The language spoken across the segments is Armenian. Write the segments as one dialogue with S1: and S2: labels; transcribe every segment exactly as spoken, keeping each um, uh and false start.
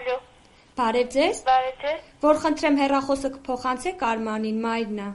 S1: Ալո։
S2: Բարև ձեզ։
S1: Բարև ձեզ։
S2: Որ խնդրեմ հեռախոսը կփոխանցեք Արմանին, Մայրն է։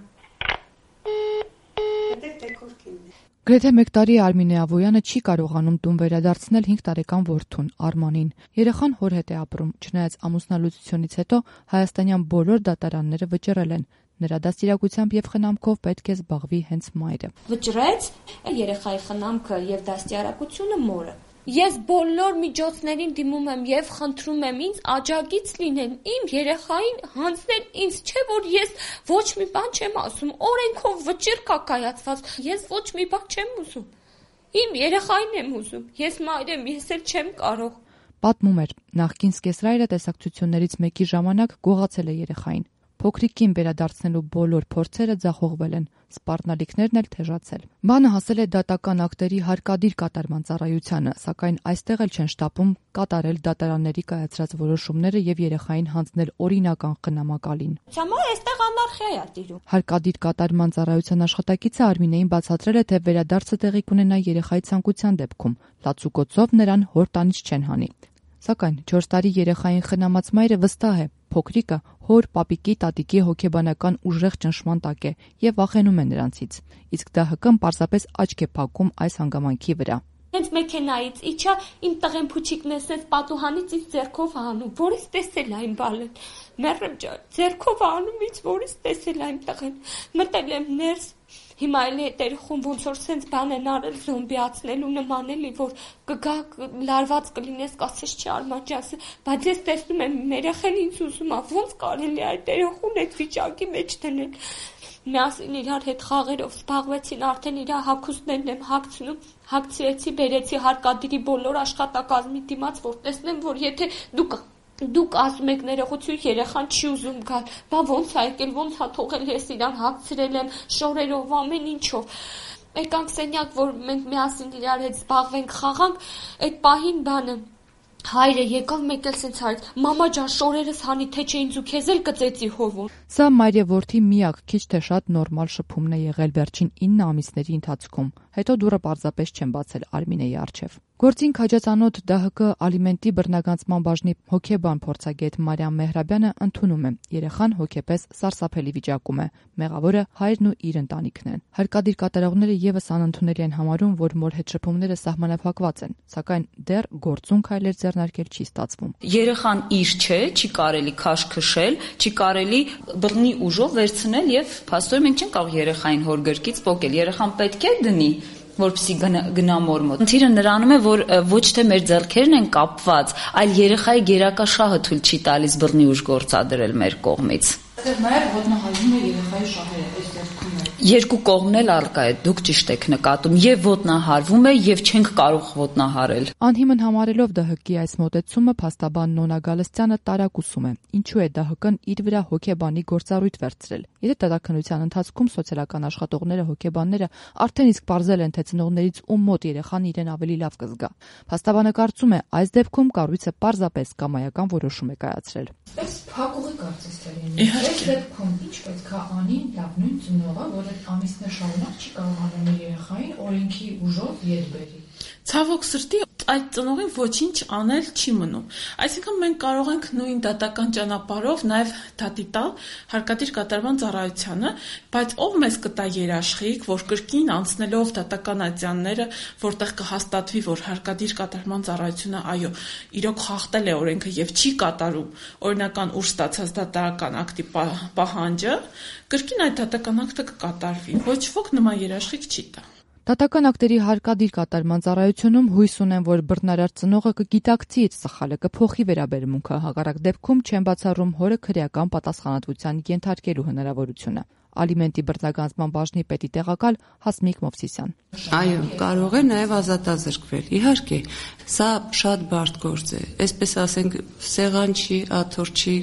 S3: Գրեթե մեկ տարի Արմինե Ավոյանը չի կարողանում տուն վերադարձնել հինգ տարեկան որդուն Արմանին։ Երեխան հոր հետ է ապրում, չնայած ամուսնալուծությունից հետո հայաստանյան բոլոր դատարանները վճռել են։ Նրա դաստիարակությամբ եւ խնամքով պետք է զբաղվի հենց մայրը։
S2: Վճռեց երեխայի խնամքը եւ դաստիարակությունը մորը։ Ես բոլոր միջոցներին դիմում եմ եւ խնդրում եմ ինձ աջակից լինեն, իմ երեխային հանձնել ինձ, չէ որ ես ոչ մի բան չեմ ասում, օրենքով վճիռ կա կայացված, ես ոչ մի բան չեմ ուզում, իմ երեխային եմ ուզում, ես մայր եմ, ես էլ չեմ կարող։
S3: Պատմում էր, նախկին սկեսրայրը տեսակցություններից մեկի ժամանակ գողացել է երեխային։ Փոքրիկին վերադարձնելու բոլոր փորձերը ձախողվել են, սպառնալիքներն էլ թեժացել։ Բանը հասել է դատական ակտերի հարկադիր կատարման ծառայությանը, սակայն այստեղ էլ չեն շտապում կատարել դատարանների կայացրած որոշումները եւ երեխային հանձնել օրինական խնամակալին։
S2: Հիմա այստեղ անարխիա է տիրում։
S3: Հարկադիր կատարման ծառայության աշխատակիցը Արմինեին բացատրել է, թե վերադարձը տեղի կունենա երեխայի ցանկության դեպքում, լացուկոցով նրան հոր տանից չեն հանի։ Սակայն չորս տարի երեխային խնամած մայրը վստահ է, փոքրիկը հոր, պապիկի, տատիկի հոգեբանական ուժեղ ճնշման տակ է եւ վախենում է նրանցից։ Իսկ ԴՀԿ-ն պարզապես աչք է փակում այս հանգամանքի վրա։
S2: Հենց մեքենայից իջա իմ տղեն փուչիկն էսես պատուհանից ինձ ձեռքով անում, որից տեսել այն բալը։ Մեռեմ ջան, ձեռքով անում ինձ, որից տեսել այն տղեն։ Մտել եմ ներս, հիմա էլ հետերխում ոնց որ սենց բան են արել զոմբիացնելու նման էլի, որ կգա լարված կլինես, կասես չի Արման ջան, բայց ես տեսնում եմ երեխան ինձ ուզում է, ոնց կարելի է այդ երեխուն այդ վիճակի մեջ դնել։ Միասին իրար հետ խաղերով զբաղվեցին, արդեն իր հագուստներն եմ հագցնում, հագցրեցի, բերեցի հարկադիրի բոլոր աշխատակազմի դիմաց, որ տեսնեմ, որ եթե դուք դուք ասում եք ներողություն, երեխան չի ուզում գալ, բա ոնց է եկել, ոնց է թողել, ես իրան հագցրել եմ շորերով, ամեն ինչով։ Եկանք սենյակ, որ մենք միասին իրար հետ զբաղվենք, խաղանք, այդ պահին բանը հայրը եկավ, մեկ էլ սենց հարց, մամա ջան, շորերս հանի, թե չէ ինձ ու քեզ էլ կծեցի հովում։
S3: Սա մայր եւ որդի միակ քիչ թե շատ նորմալ շփումն է եղել վերջին ինը ամիսների ընթացքում։ Հետո դուռը պարզապես չեն բացել Արմինեի առջև։ Գործին քաջածանոթ ԴՀԿ ալիմենտի բռնագանցման բաժնի հոգեբան փորձագետ Մարիամ Մեհրաբյանը ընդունում է, երեխան հոգեպես սարսափելի վիճակում է, մեղավորը հայրն ու իր ընտանիքն են։ Հարկադիր կատարողները եւս անընդունելի են համարում, որ մոր հետ շփումները սահմանափակված են, սակայն դեռ գործուն քայլեր ձեռնարկել չի ստացվում։
S4: Երեխան իր չէ, չի կարելի քաշ քշել, չի կարելի բռնի ուժով վերցնել եւ փաստորեն մենք չենք կարող երեխային հոր գրկից պոկել։ Երեխան պետք է դնի, որպեսզի գնա մոր մոտ։ Խնդիրը նրանում է, որ ոչ թե մեր ձեռքերն են կապված, այլ երեխայի գերակա շահը թույլ չի տալիս բռնի ուժ գործադրել մեր կողմից։
S5: Նաև ոտնահարվում է երեխայի շահերը, այս դեպքում է։
S4: Երկու կողմն էլ արկա է, դուք ճիշտ եք նկատում, եւ ոտնահարվում է, եւ չենք կարող ոտնահարել։
S3: Անհիմն համարելով ԴՀԿ-ի այս մոտեցումը, փաստաբան Նոնա Գալստյանը տարակուսում է, ինչու է ԴՀԿ-ն իր վրա հոգեբանի գործառույթ վերցրել։ Եթե դատականության ընթացքում սոցիալական աշխատողները, հոգեբանները արդեն իսկ պարզել են, թե ծնողներից ում մոտ երեխան իրեն ավելի լավ կզգա։ Փաստաբանը կարծում է, այս դեպքում կառույցը պարզապես կամայական որոշում է կայացրել։
S5: Այս փակուղի կարծես թե լինի։ Այս դեպքում ինչ պետք է անի լավ նույն ծնողը, որ այդ ամիսներ շարունակ չի կարողանում իր երեխային օրենքի ուժով ետ բերի։
S6: Ցավոք սրտի այդ ծնողին ոչինչ անել չի մնում։ Այսինքն մենք կարող ենք նույն դատական ճանապարհով նաև դատի տալ հարկադիր կատարման ծառայությանը, բայց ով մեզ կտա երաշխիք, որ կրկին անցնելով դատական ատյանները, որտեղ կհաստատվի, որ հարկադիր կատարման ծառայությունը այո, իրոք խախտել է օրենքը եւ չի կատարում օրինական ուժ ստացած դատարական ակտի պահանջը, կրկին այդ դատական ակտը կկատարվի։ Ոչ ոք նման երաշխիք չի տա։
S3: Դատական ակտերի հարկադիր կատարման ծառայությունում հույս ունեն, որ բռնարար ծնողը կգիտակցի իր սխալը, կփոխի վերաբերմունքը, հակառակ դեպքում չեն բացառում հորը քրեական պատասխանատվության ենթարկելու հնարավորությունը։ Ալիմենտի բռնագանձման բաժնի պետի տեղակալ Հասմիկ Մովսիսյան։
S7: Այո, կարող է նաև ազատազրկվել։ Իհարկե, սա շատ բարդ գործ է։ Այսպես ասենք, սեղան չի, աթոռ չի,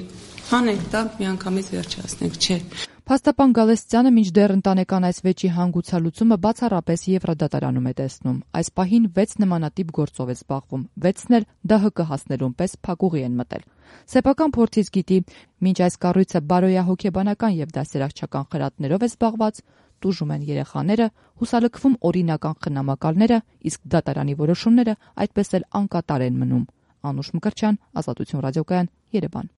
S7: հանենք տանք, միանգամից վերջացնենք, չէ։
S3: Փաստաբան Գալստյանը մինչդեռ ընտանեկան այս վեճի հանգուցալուծումը բացառապես Եվրոդատարանում է տեսնում։ Այս պահին վեց նմանատիպ գործով է զբաղվում, վեցն էլ ԴՀԿ հասնելուն պես փակուղի են մտել։ Սեփական փորձից գիտի, մինչ այս կառույցը բարոյահոգեբանական եւ դասերակցական խրատներով է զբաղված, տուժում են երեխաները, հուսալքվում օրինական խնամակալները, իսկ դատարանի որոշումները այդպես էլ անկատար են մնում։ Անուշ Մկրտչյան, Ազատություն ռադիոկայան, Երևան։